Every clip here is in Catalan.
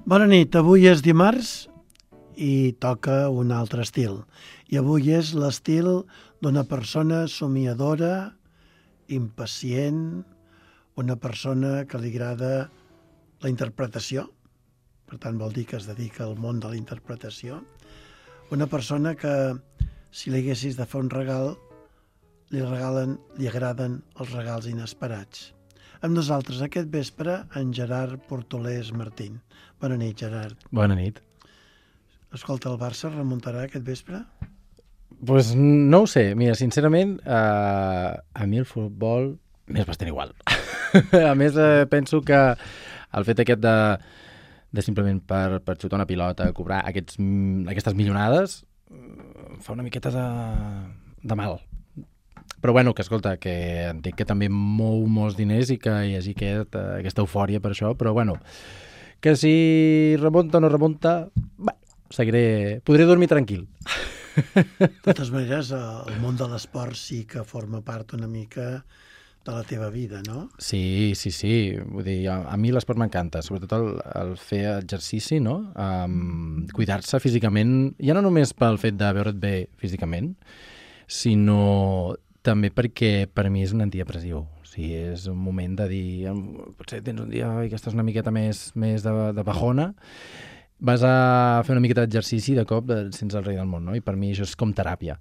Bona nit, avui és dimarts i toca un altre estil. I avui és l'estil d'una persona somiadora, impacient, una persona que li agrada la interpretació, per tant vol dir que es dedica al món de la interpretació, una persona que si li haguessis de fer un regal, li agraden els regals inesperats. Amb nosaltres aquest vespre en Gerard Portolés Martín. Bona nit, Gerard. Bona nit. Escolta, el Barça remuntarà aquest vespre? Pues no ho sé. Mira, sincerament, a mi el futbol m'és bastant igual. A més, penso que el fet aquest de simplement per xutar una pilota, cobrar aquestes milionades, fa una miqueta de mal. Però bueno, que escolta, que entenc que també mou molts diners i que hi hagi aquesta eufòria per això, però bueno, que si remunta o no remunta, podré dormir tranquil. De totes maneres, el món de l'esport sí que forma part una mica de la teva vida, no? Sí. Vull dir, a mi l'esport m'encanta, sobretot el fer exercici, no? Cuidar-se físicament, ja no només pel fet de veure't bé físicament, sinó també perquè per mi és un antidepressiu. O sigui, és un moment de dir, potser tens un dia que estàs una miqueta més de bajona, vas a fer una miqueta d'exercici i de cop et sents el rei del món, no? I per mi això és com teràpia.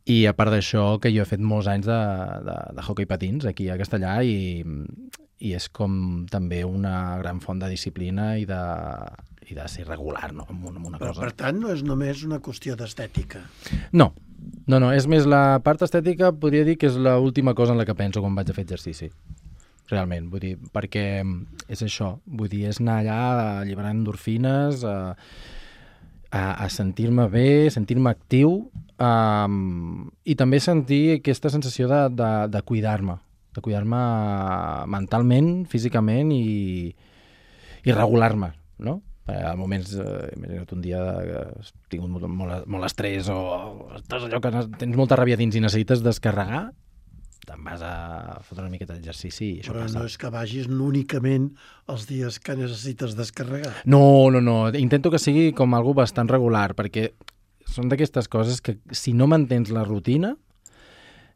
I a part d'això, que jo he fet molts anys de hoquei patins aquí a Castellà i és com també una gran font de disciplina i de ser regular, no? Amb una Però, cosa. per tant, no és només una qüestió d'estètica. No, és més la part estètica, podria dir que és l'última cosa en la que penso quan vaig a fer exercici. Realment, vull dir, perquè és això, vull dir, és anar allà alliberant endorfines, a sentir-me bé, sentir-me actiu, i també sentir aquesta sensació de cuidar-me mentalment, físicament i regular-me, no? A moments, imagina't un dia que has tingut molt estrès o estàs allò que tens molta ràbia dins i necessites descarregar, te'n vas a fotre una miqueta d'exercici i això Però passa. no és que vagis únicament els dies que necessites descarregar. No. Intento que sigui com algo bastant regular, perquè són d'aquestes coses que si no mantens la rutina,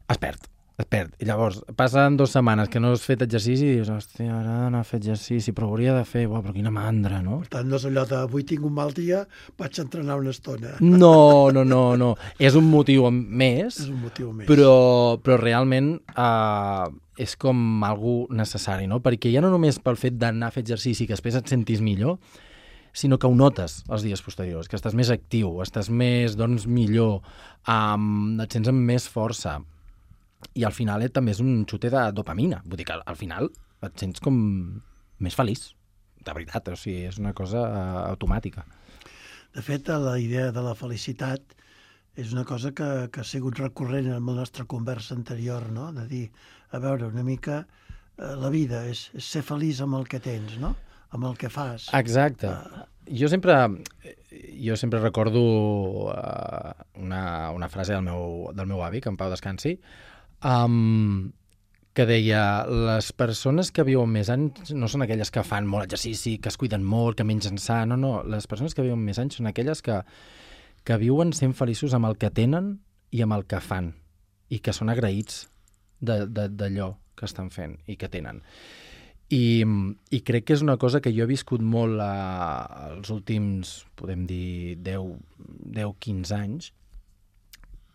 es perd. I llavors, passen 2 setmanes que no has fet exercici i dius, hòstia, ara he d'anar a fer exercici, però ho hauria de fer, però quina mandra, no? Per tant, no és allò de avui tinc un mal dia, vaig a entrenar una estona. No. És un motiu més, És un motiu més. però realment és com algo necessari, no? Perquè ja no només pel fet d'anar a fer exercici que després et sentis millor, sinó que ho notes els dies posteriors, que estàs més actiu, estàs més, millor, et sents amb més força. I al final també és un xute de dopamina. Vull dir que al final et sents com més feliç, de veritat. O sigui, és una cosa automàtica. De fet, la idea de la felicitat és una cosa que ha sigut recurrent en la nostra conversa anterior, no? De dir, a veure, una mica la vida és ser feliç amb el que tens, no? Amb el que fas. Exacte. Jo sempre recordo una frase del meu avi, que en pau descansi, que deia, les persones que viuen més anys no són aquelles que fan molt exercici, que es cuiden molt, que mengen sa, no. Les persones que viuen més anys són aquelles que viuen sent feliços amb el que tenen i amb el que fan, i que són agraïts d'allò que estan fent i que tenen. I crec que és una cosa que jo he viscut molt els últims, podem dir, 10-15 anys,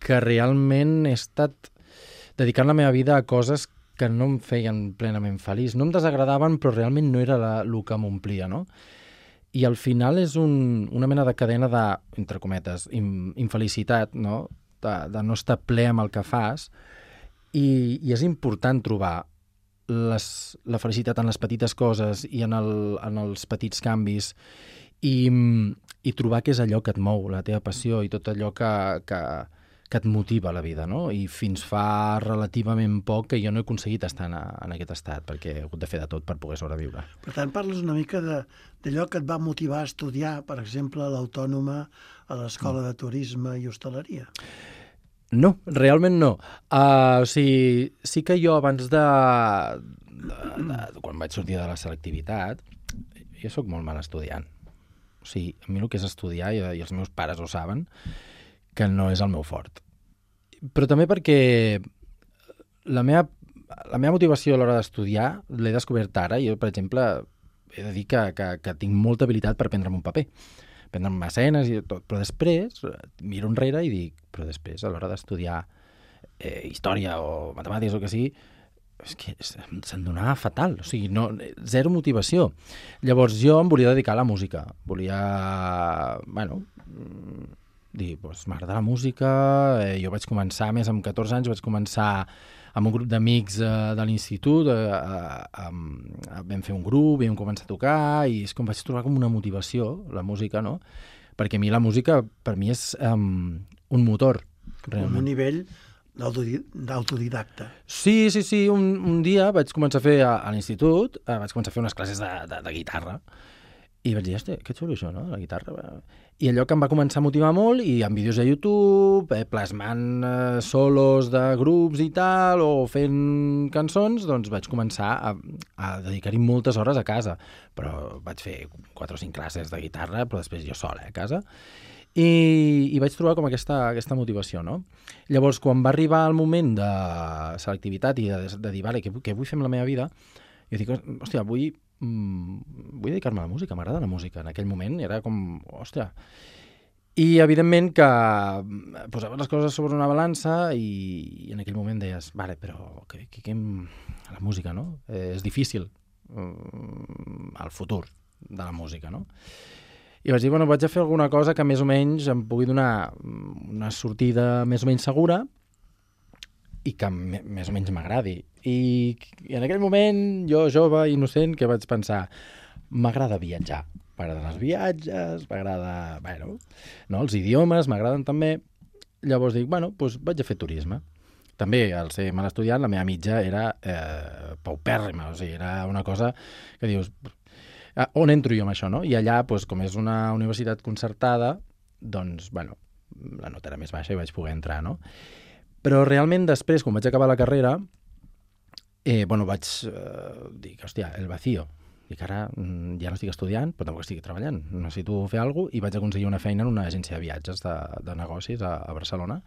que realment he estat dedicant la meva vida a coses que no em feien plenament feliç. No em desagradaven, però realment no era el que m'omplia, no? I al final és una mena de cadena de, entre cometes, infelicitat, no? De no estar ple amb el que fas, i és important trobar la felicitat en les petites coses i en els petits canvis i trobar què és allò que et mou, la teva passió i tot allò que et motiva a la vida, no? I fins fa relativament poc que jo no he aconseguit estar en aquest estat, perquè he hagut de fer de tot per poder sobreviure. Per tant, parles una mica d'allò que et va motivar a estudiar, per exemple, a l'Autònoma, a l'Escola de Turisme i Hostaleria. No, realment no. O sigui, sí que jo abans quan vaig sortir de la selectivitat, jo sóc molt mal estudiant. O sigui, a mi el que és estudiar, i els meus pares ho saben, que no és el meu fort. Però també perquè la meva motivació a l'hora d'estudiar l'he descobert ara. Jo, per exemple, he de dir que tinc molta habilitat per prendre'm un paper, prendre'm escenes i tot, però després miro enrere i dic, però després a l'hora d'estudiar història o matemàtiques o el que sigui, és que se'm donava fatal, o sigui, no, zero motivació. Llavors jo em volia dedicar a la música, volia, dir, doncs m'agrada la música, jo vaig començar, més amb 14 anys, vaig començar amb un grup d'amics de l'institut, vam fer un grup, vam començar a tocar, i és com vaig trobar com una motivació, la música, no? Perquè a mi la música, per mi és un motor, realment. Un nivell d'autodidacta. Sí, un dia vaig començar a fer a l'institut, vaig començar a fer unes classes de guitarra, i vaig dir, hòstia, que xulo això, no?, la guitarra. I allò que em va començar a motivar molt, i amb vídeos a YouTube, plasmant solos de grups i tal, o fent cançons, doncs vaig començar a dedicar-hi moltes hores a casa. Però vaig fer 4 o 5 classes de guitarra, però després jo sola a casa. I vaig trobar com aquesta motivació, no? Llavors, quan va arribar el moment de selectivitat i de dir, vale, què vull fer amb la meva vida, jo dic, hòstia, vull dedicar-me a la música, m'agrada la música. En aquell moment era com, hòstia. I evidentment que posaves les coses sobre una balança i en aquell moment deies, vale, però la música, no? És difícil el futur de la música, no? I vaig dir, bueno, vaig a fer alguna cosa que més o menys em pugui donar una sortida més o menys segura i que més o menys m'agradi. I en aquell moment, jo, jove, innocent, que vaig pensar, m'agrada viatjar. M'agraden els viatges, m'agrada, no, els idiomes, m'agraden també. Llavors dic, doncs vaig a fer turisme. També, al ser mal estudiant, la meva mitja era paupèrrima, o sigui, era una cosa que dius, on entro jo amb això, no? I allà, com és una universitat concertada, doncs, la nota era més baixa i vaig poder entrar, no? Però realment després, quan vaig acabar la carrera, vaig dir, hòstia, el vacío. Dic, ara ja no estic estudiant, però tampoc estic treballant. Necessito fer alguna cosa, i vaig aconseguir una feina en una agència de viatges de negocis a Barcelona.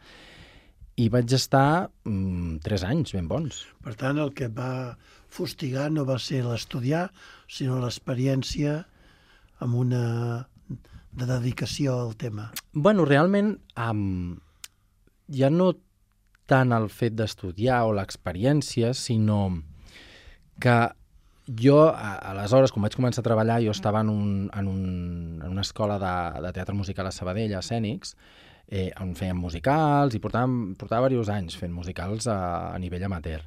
I vaig estar 3 anys ben bons. Per tant, el que et va fustigar no va ser l'estudiar, sinó l'experiència amb una de dedicació al tema. Realment, ja no tant el fet d'estudiar o l'experiència, sinó que jo, aleshores, quan vaig començar a treballar, jo estava en una escola de teatre musical a Sabadell, a Escènics, on fèiem musicals, i portava diversos anys fent musicals a nivell amateur.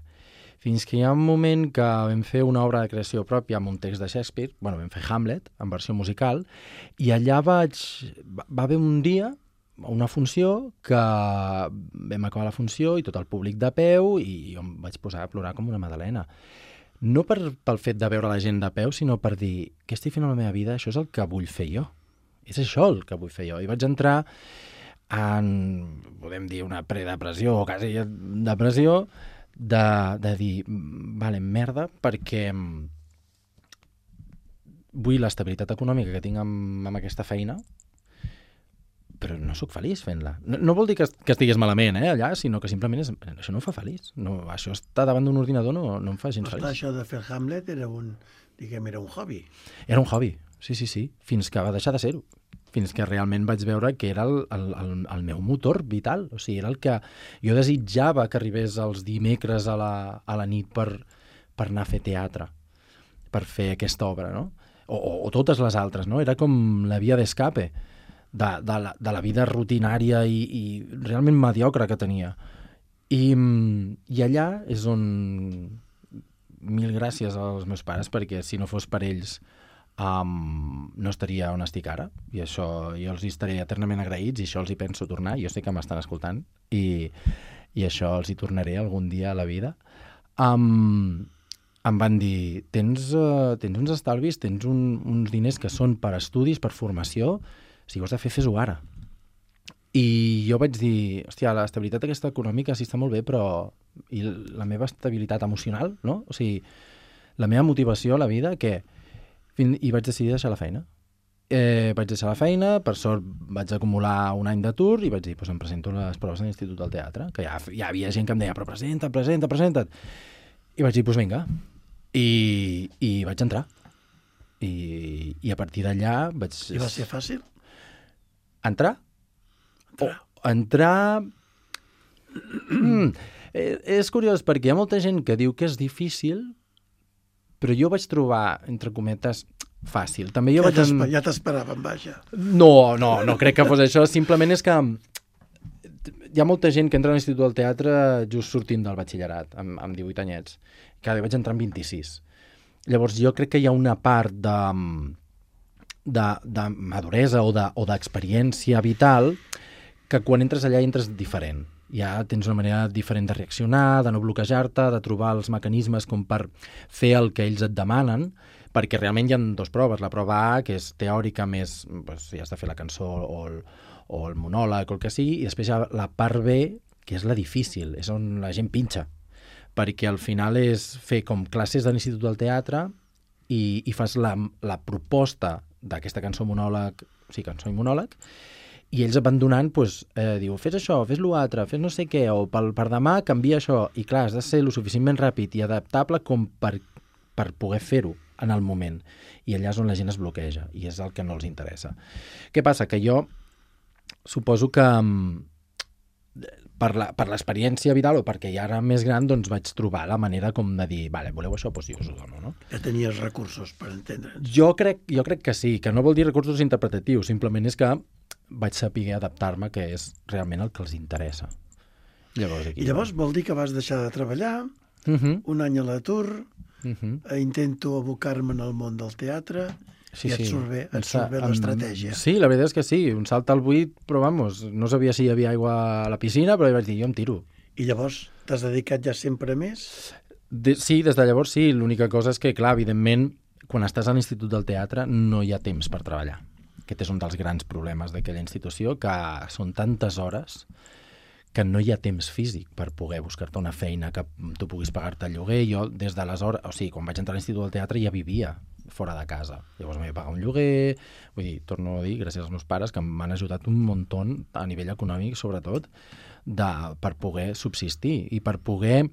Fins que hi ha un moment que vam fer una obra de creació pròpia amb un text de Shakespeare, vam fer Hamlet, en versió musical, i allà va haver un dia, una funció, que vam acabar la funció i tot el públic de peu, i jo em vaig posar a plorar com una madalena. No pel fet de veure la gent de peu, sinó per dir, què estic fent a la meva vida? Això és el que vull fer jo. És això el que vull fer jo. I vaig entrar en, podem dir, una predepressió o quasi depressió, de dir, vale, merda, perquè vull l'estabilitat econòmica que tinc amb aquesta feina, però no sóc feliç fent-la. No vol dir que estigués malament, allà, sinó que simplement això no em fa feliç. No, això estar davant d'un ordinador no em fa gens feliç. Això de fer Hamlet era un hobby. Era un hobby, sí, fins que va deixar de ser-ho. Fins que realment vaig veure que era el meu motor vital. O sigui, era el que jo desitjava que arribés els dimecres a la nit per anar a fer teatre, per fer aquesta obra, no? O totes les altres, no? Era com la via d'escape de la vida rutinària i realment mediocre que tenia. I allà és on, mil gràcies als meus pares, perquè si no fos per ells no estaria on estic ara, i això jo els estaré eternament agraïts, i això els hi penso tornar. Jo sé que m'estan escoltant i això els hi tornaré algun dia a la vida. Em van dir, tens uns estalvis, tens uns diners que són per estudis, per formació, si ho has de fer, fes-ho ara. I jo vaig dir, hòstia, l'estabilitat aquesta econòmica sí està molt bé, però i la meva estabilitat emocional, no? O sigui, la meva motivació a la vida, què? I vaig decidir deixar la feina. vaig deixar la feina, per sort vaig acumular un any d'atur i vaig dir, em presento a les proves de l'Institut del Teatre, que ja havia gent que em deia, però presenta't. I vaig dir, vinga. I vaig entrar. I a partir d'allà vaig... I va ser fàcil? Entrar? Entrar... És curiós, perquè hi ha molta gent que diu que és difícil, però jo vaig trobar, entre cometes, fàcil. També jo ja t'esperaven, vaja. No crec que fos això. Simplement és que hi ha molta gent que entra a l'Institut del Teatre just sortint del batxillerat, amb 18 anyets. Cada vaig entrar amb 26. Llavors jo crec que hi ha una part de maduresa o d'experiència vital que quan entres allà entres diferent. Ja tens una manera diferent de reaccionar, de no bloquejar-te, de trobar els mecanismes com per fer el que ells et demanen, perquè realment hi ha dues proves. La prova A, que és teòrica més, si has de fer la cançó o el monòleg o el que sigui, i després hi ha la part B, que és la difícil, és on la gent pinxa, perquè al final és fer com classes de l'Institut del Teatre i fas la proposta d'aquesta cançó monòleg, cançó i monòleg, i ells et van donant, diu, fes això, fes l'altre, fes no sé què, o per demà canvia això, i clar, has de ser lo suficientment ràpid i adaptable com per poder fer-ho en el moment, i allà és on la gent es bloqueja, i és el que no els interessa. Què passa? Que jo suposo que per l'experiència vital o perquè ja era més gran, doncs vaig trobar la manera com de dir, vale, voleu això, doncs jo us ho dono, no? Ja tenies recursos per entendre'ns. Jo crec que sí, que no vol dir recursos interpretatius, simplement és que vaig saber adaptar-me, que és realment el que els interessa. Llavors vol dir que vas deixar de treballar, un any a l'atur, intento abocar-me en el món del teatre, i et surt bé l'estratègia. Sí, la veritat és que sí, un salt al buit, però no sabia si hi havia aigua a la piscina, però vaig dir, jo em tiro. I llavors t'has dedicat ja sempre més? Sí, des de llavors sí, l'única cosa és que, clar, evidentment, quan estàs a l'Institut del Teatre no hi ha temps per treballar. Aquest és un dels grans problemes d'aquella institució, que són tantes hores que no hi ha temps físic per poder buscar-te una feina, que tu puguis pagar-te el lloguer. Jo, des d'aleshores, quan vaig entrar a l'Institut del Teatre ja vivia fora de casa. Llavors m'he de pagar un lloguer, vull dir, torno a dir, gràcies als meus pares, que m'han ajudat un muntó a nivell econòmic, sobretot, per poder subsistir i per poder...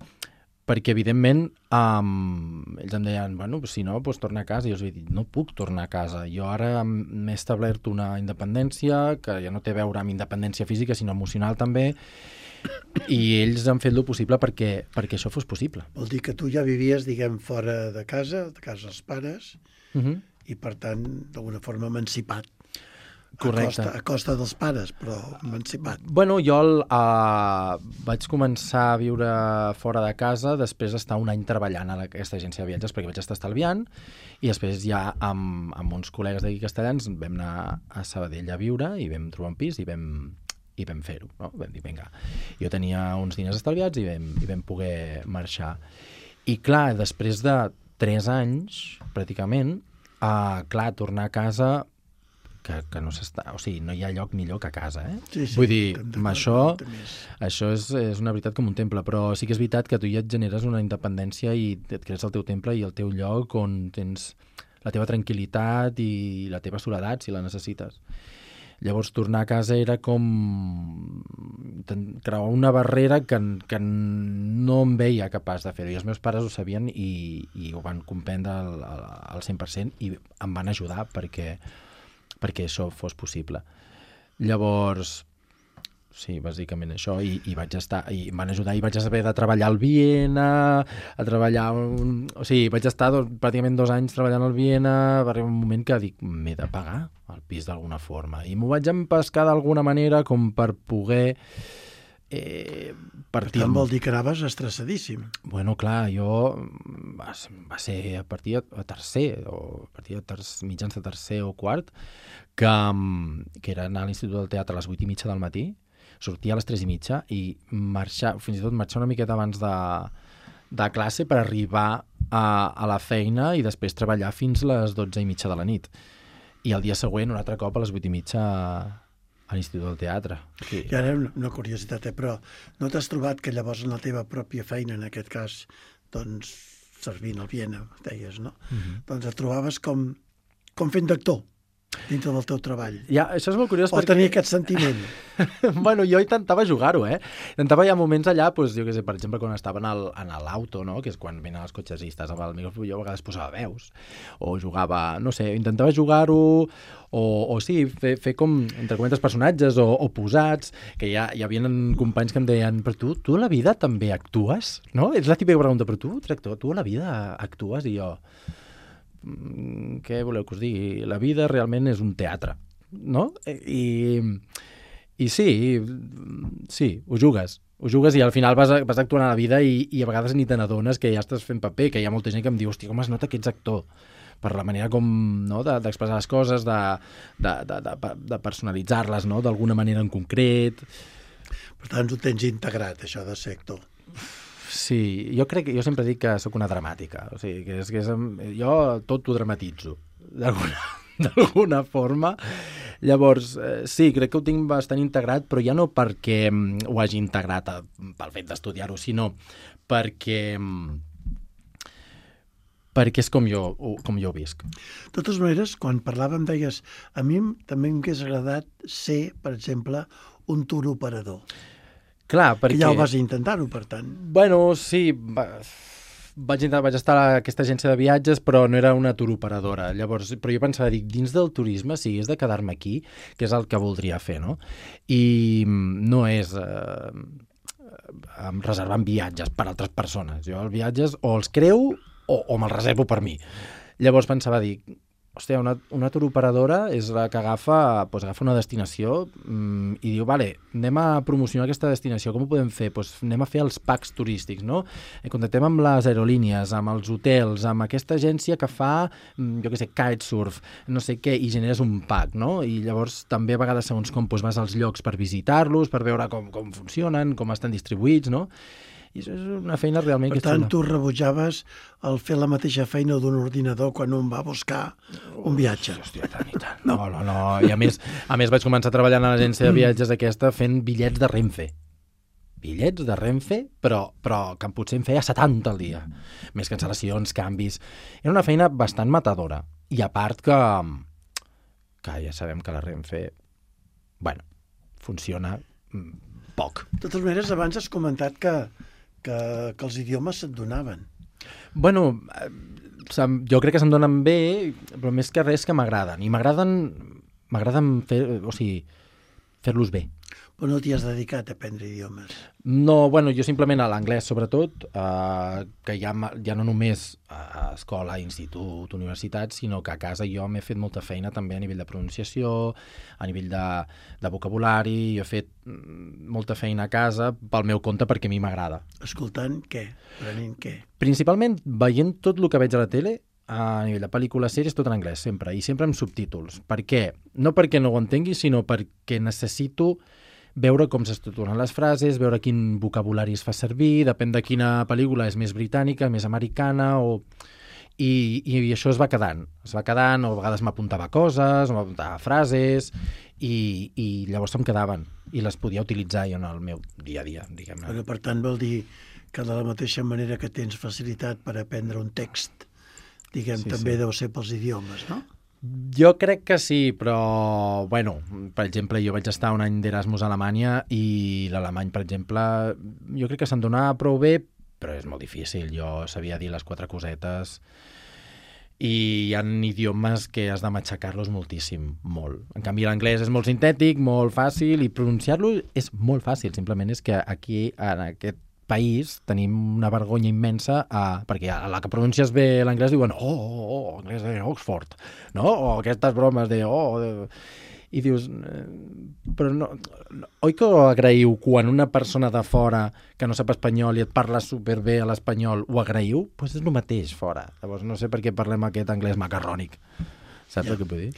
Perquè, evidentment, ells em deien, si no, doncs torna a casa. I jo els vaig dir, no puc tornar a casa. Jo ara m'he establert una independència que ja no té a veure amb independència física, sinó emocional també, i ells han fet el possible perquè això fos possible. Vol dir que tu ja vivies, diguem, fora de casa dels pares, i, per tant, d'alguna forma emancipat. Correcte. A costa dels pares, però emancipat. Bueno, jo vaig començar a viure fora de casa després d'estar un any treballant a aquesta agència de viatges, perquè vaig estar estalviant, i després ja amb uns col·legues d'aquí castellans vam anar a Sabadell a viure i vam trobar un pis i vam fer-ho, no? Vam dir, vinga. Jo tenia uns diners estalviats i vam poder marxar. I clar, després de 3 anys, pràcticament, tornar a casa... que no s'està... O sigui, no hi ha lloc millor que a casa, eh? Sí, vull dir, això és una veritat com un temple, però sí que és veritat que tu ja et generes una independència i et crees el teu temple i el teu lloc on tens la teva tranquil·litat i la teva soledat, si la necessites. Llavors, tornar a casa era com creuar una barrera que no em veia capaç de fer-ho. I els meus pares ho sabien i ho van comprendre al 100% i em van ajudar perquè això fos possible. Llavors, sí, bàsicament això, i vaig estar, i em van ajudar, i vaig haver de treballar al Viena, vaig estar pràcticament 2 anys treballant al Viena, va arribar un moment que dic, m'he de pagar el pis d'alguna forma, i m'ho vaig empescar d'alguna manera com per poder per tant, vol dir que anaves estressadíssim. Bueno, clar, jo va ser a partir de tercer, o a partir de mitjans de tercer o quart, que era anar a l'Institut del Teatre a les 8:30 del matí, sortir a les 3:30 i marxar, fins i tot marxar una miqueta abans de classe per arribar a la feina i després treballar fins les 12:30 de la nit. I el dia següent, un altre cop, a les 8:30 a l'Institut del Teatre. Sí. I ara una curiositat, però no t'has trobat que llavors en la teva pròpia feina, en aquest cas, doncs, servint al Viena, deies, no? Doncs et trobaves com fent d'actor. dintre del teu treball. Ja, això és molt curiós O tenir aquest sentiment. Bueno, jo intentava jugar-ho, Intentava hi ha moments allà, doncs, jo què sé, per exemple, quan estava en l'auto, no?, que és quan venen els cotxesistes amb el micròfon, jo a vegades posava veus, o jugava, no sé, intentava jugar-ho, o sí, fer com, entre comentes, personatges o posats, que hi havia companys que em deien, però tu a la vida també actues, no? És la típica pregunta, però tu, director, tu a la vida actues? I jo, què voleu que us digui? La vida realment és un teatre, no? I sí, ho jugues i al final vas actuant a la vida i a vegades ni te n'adones que ja estàs fent paper, que hi ha molta gent que em diu, hòstia, com es nota que ets actor, per la manera com, no?, d'expressar les coses, de personalitzar-les, no?, d'alguna manera en concret. Per tant, ho tens integrat, això de ser actor. Sí, jo sempre dic que sóc una dramàtica, o sigui, jo tot ho dramatitzo, d'alguna forma. Llavors, sí, crec que ho tinc bastant integrat, però ja no perquè ho hagi integrat pel fet d'estudiar-ho, sinó perquè és com jo ho visc. De totes maneres, quan parlàvem, deies, a mi també m'hagués agradat ser, per exemple, un touroperador. Clar, perquè... Que ja ho vas intentar-ho, per tant. Bueno, sí, vaig estar a aquesta agència de viatges, però no era una touroperadora. Llavors, però jo pensava, dins del turisme, si és de quedar-me aquí, que és el que voldria fer, no? I no és reservant viatges per altres persones. Jo els viatges o els creu o me'ls reservo per mi. Llavors pensava, hòstia, una touroperadora és la que agafa una destinació i diu, vale, anem a promocionar aquesta destinació, com ho podem fer? Anem a fer els packs turístics, no? Contactem amb les aerolínies, amb els hotels, amb aquesta agència que fa, jo què sé, kitesurf, no sé què, i generes un pack, no? I llavors també a vegades segons com vas als llocs per visitar-los, per veure com funcionen, com estan distribuïts, no? I això és una feina realment... Per tant, tu rebutjaves el fer la mateixa feina d'un ordinador quan un va buscar un viatge. Hòstia, tant i tant. No. I a més vaig començar treballant a l'agència de viatges aquesta fent bitllets de Renfe. Bitllets de Renfe, però que potser em feia 70 al dia. Més cancel·lacions, canvis... Era una feina bastant matadora. I a part que ja sabem que la Renfe, funciona poc. De totes maneres, abans has comentat que els idiomes se't donaven. Bueno, jo crec que se'm donen bé, però més que res que m'agraden. I m'agraden fer-los bé. Però no t'hi has dedicat a aprendre idiomes? No, jo simplement a l'anglès, sobretot, que ja no només a escola, institut, universitat, sinó que a casa jo m'he fet molta feina també a nivell de pronunciació, a nivell de vocabulari, jo he fet molta feina a casa pel meu compte perquè a mi m'agrada. Escoltant què? Aprenent què? Principalment veient tot el que veig a la tele, a nivell de pel·lícules, sèries, tot en anglès, sempre, i sempre amb subtítols. Per què? No perquè no ho entengui, sinó perquè necessito veure com s'estructuren les frases, veure quin vocabulari es fa servir, depèn de quina pel·lícula és més britànica, més americana, i això es va quedant, o a vegades m'apuntava coses, o m'apuntava frases, i llavors se'm quedaven, i les podia utilitzar jo en el meu dia a dia, diguem-ne. Però, per tant, vol dir que de la mateixa manera que tens facilitat per aprendre un text, també deu ser pels idiomes, no? Jo crec que sí, però, per exemple, jo vaig estar un any d'Erasmus a Alemanya i l'alemany, per exemple, jo crec que se'm donava prou bé, però és molt difícil. Jo sabia dir les 4 cosetes i hi ha idiomes que has de matxacar-los moltíssim, molt. En canvi, l'anglès és molt sintètic, molt fàcil, i pronunciar-lo és molt fàcil. Simplement és que aquí, en aquest país, tenim una vergonya immensa perquè a la que pronuncies bé l'anglès diuen anglès de Oxford, no? O aquestes bromes de i dius, però no, oi que ho agraïu quan una persona de fora que no sap espanyol i et parla superbé a l'espanyol, ho agraïu? Doncs és el mateix fora. Llavors no sé per què parlem aquest anglès macarrònic. Saps el que vull dir?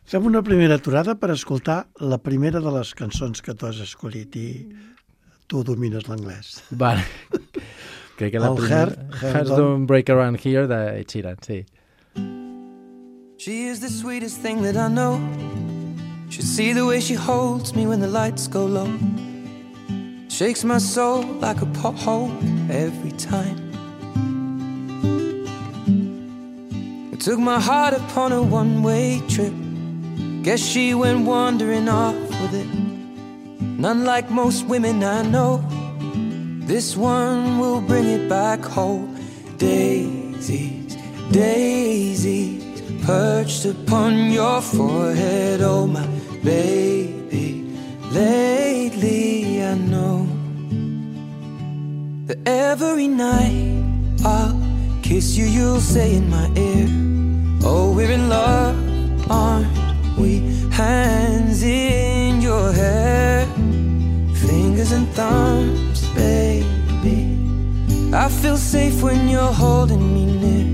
Fem una primera aturada per escoltar la primera de les cançons que tu has escollit i tu domines l'anglès. Vale. Crec que la primera... Hearts Don't Break Around Here, de Ed Sheeran, sí. She is the sweetest thing that I know. Should see the way she holds me when the lights go low. Shakes my soul like a pothole every time. It took my heart upon a one-way trip. Guess she went wandering off with it. And unlike most women I know, this one will bring it back home. Daisies, daisies, perched upon your forehead. Oh my baby, lately I know that every night I'll kiss you, you'll say in my ear, oh, we're in love, aren't we? Hands in your hair, fingers and thumbs, baby. I feel safe when you're holding me near.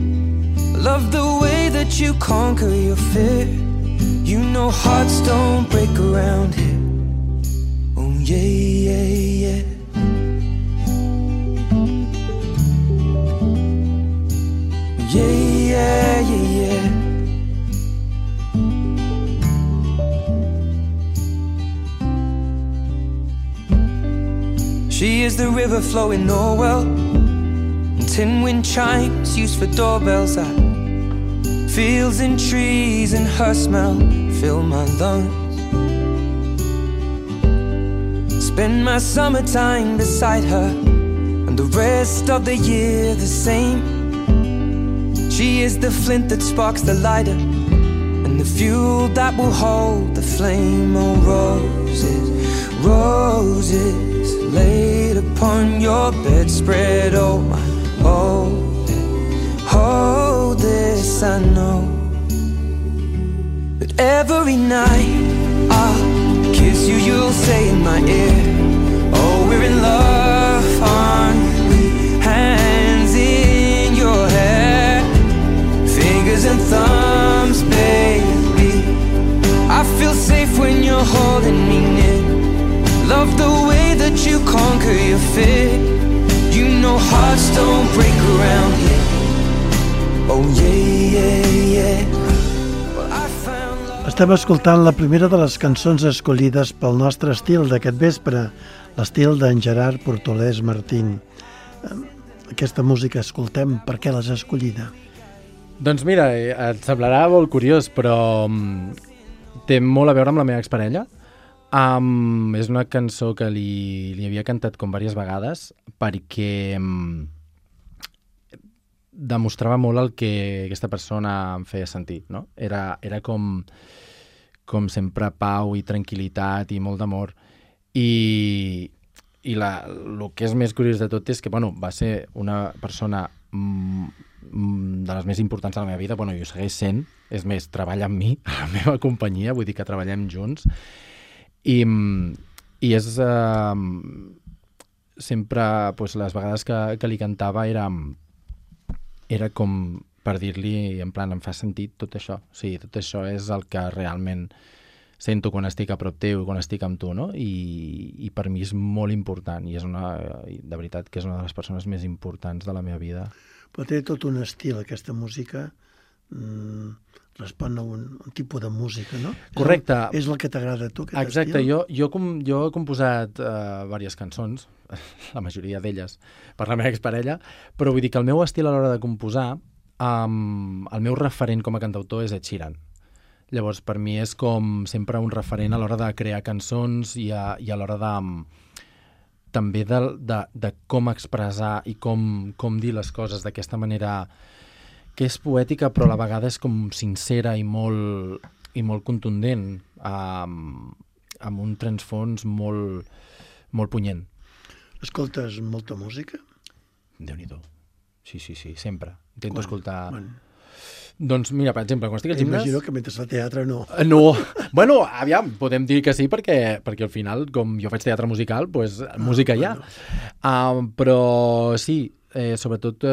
I love the way that you conquer your fear. You know hearts don't break around here. Oh yeah, yeah, yeah. Yeah, yeah, yeah, yeah. She is the river flowing Norwell, and tin wind chimes used for doorbells. Fields and trees and her smell fill my lungs. Spend my summertime beside her, and the rest of the year the same. She is the flint that sparks the lighter, and the fuel that will hold the flame. Oh, roses, roses laid upon your bedspread. Oh my, hold this, I know that every night I'll kiss you, you'll say in my ear, oh, we're in love, aren't we? Hands in your hair, fingers and thumbs, baby. I feel safe when you're holding me near. Love the way that you conquer your fear. You know hearts don't break around here. Oh yeah, yeah, yeah. Well, I found love. Estem escoltant la primera de les cançons escollides pel nostre estil d'aquest vespre, l'estil d'en Gerard Portolès Martín. Aquesta música escoltem, per què l'has escollida? Doncs mira, et semblarà molt curiós, però té molt a veure amb la meva exparella. És una cançó que li havia cantat com diverses vegades perquè demostrava molt el que aquesta persona em feia sentir, no? Era com sempre pau i tranquil·litat i molt d'amor. I el que és més curiós de tot és que va ser una persona de les més importants de la meva vida. I ho segueix sent. És més, treballa amb mi, a la meva companyia, vull dir que treballem junts. I és sempre les vegades que li cantava era com per dir-li en plan, em fa sentit tot això. O sigui, tot això és el que realment sento quan estic a prop teu, quan estic amb tu, no? I per mi és molt important i de veritat que és una de les persones més importants de la meva vida. Però té tot un estil, aquesta música. Respon a un tipus de música, no? Correcte. És el que t'agrada a tu, aquest Exacte. estil? Jo he composat diverses cançons, la majoria d'elles, per la meva exparella, però vull dir que el meu estil a l'hora de composar, el meu referent com a cantautor és Ed Sheeran. Llavors, per mi és com sempre un referent a l'hora de crear cançons i a l'hora també de com expressar i com dir les coses d'aquesta manera que és poètica però a la vegada és com sincera i molt contundent, amb un transfons molt punyent. Escoltes molta música? Déu-n'hi-do. Sí, sempre. Intento escoltar... Quan? Doncs mira, per exemple, quan estic al gimnàs... Imagino que mentre fa teatre no. No. Bueno, aviam, podem dir que sí perquè al final, com jo faig teatre musical, doncs música hi ha. Però sí, sobretot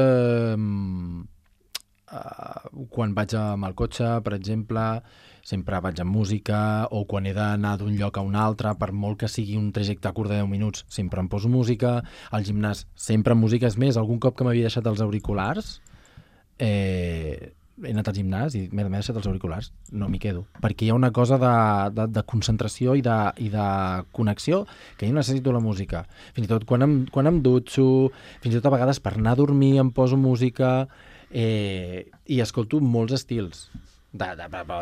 quan vaig amb el cotxe, per exemple, sempre vaig amb música, o quan he d'anar d'un lloc a un altre, per molt que sigui un trajecte curt de 10 minuts, sempre em poso música. Al gimnàs, sempre amb música. És més, algun cop que m'havia deixat els auriculars, he anat al gimnàs i m'he deixat els auriculars, no m'hi quedo, perquè hi ha una cosa de concentració i de connexió que jo necessito la música. Fins i tot quan em dutxo, fins i tot a vegades per anar a dormir em poso música, i escolto molts estils,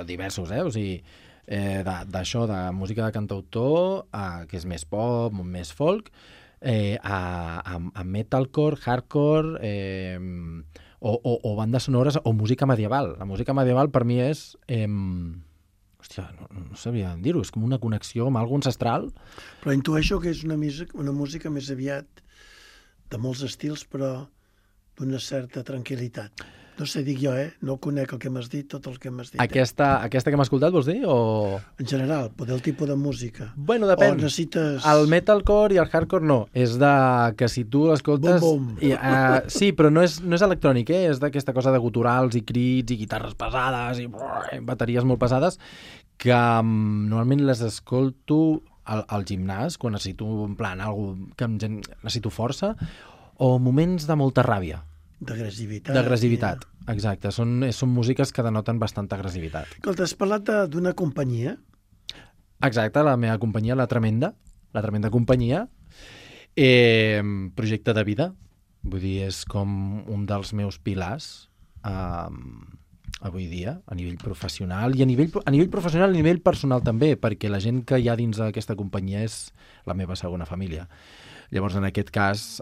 diversos, o sigui, d'això, de música de cantautor, que és més pop, més folk, a metalcore, hardcore, o bandes sonores, o música medieval. La música medieval per mi és... hòstia, no sabia dir-ho, és com una connexió amb algo ancestral. Però intueixo que és una música més aviat de molts estils, però d'una certa tranquil·litat. No sé, dic jo, no conec el que m'has dit, tot el que m'has dit. Aquesta que m'has escoltat, vols dir? O... En general, poder el tipus de música. Bueno, depèn. O necessites... El metalcore i el hardcore no. És de que si tu l'escoltes... Bum, bum. Sí, però no és electrònic, és d'aquesta cosa de guturals i crits i guitarres pesades i bateries molt pesades que normalment les escolto al gimnàs quan necessito, en plan, necessito força, o moments de molta ràbia. D'agressivitat. Exacte. Són músiques que denoten bastanta agressivitat. Escolta, has parlat d'una companyia? Exacte, la meva companyia, la Tremenda companyia, projecte de vida. Vull dir, és com un dels meus pilars avui dia, a nivell professional, i a nivell professional i a nivell personal també, perquè la gent que hi ha dins d'aquesta companyia és la meva segona família. Llavors, en aquest cas,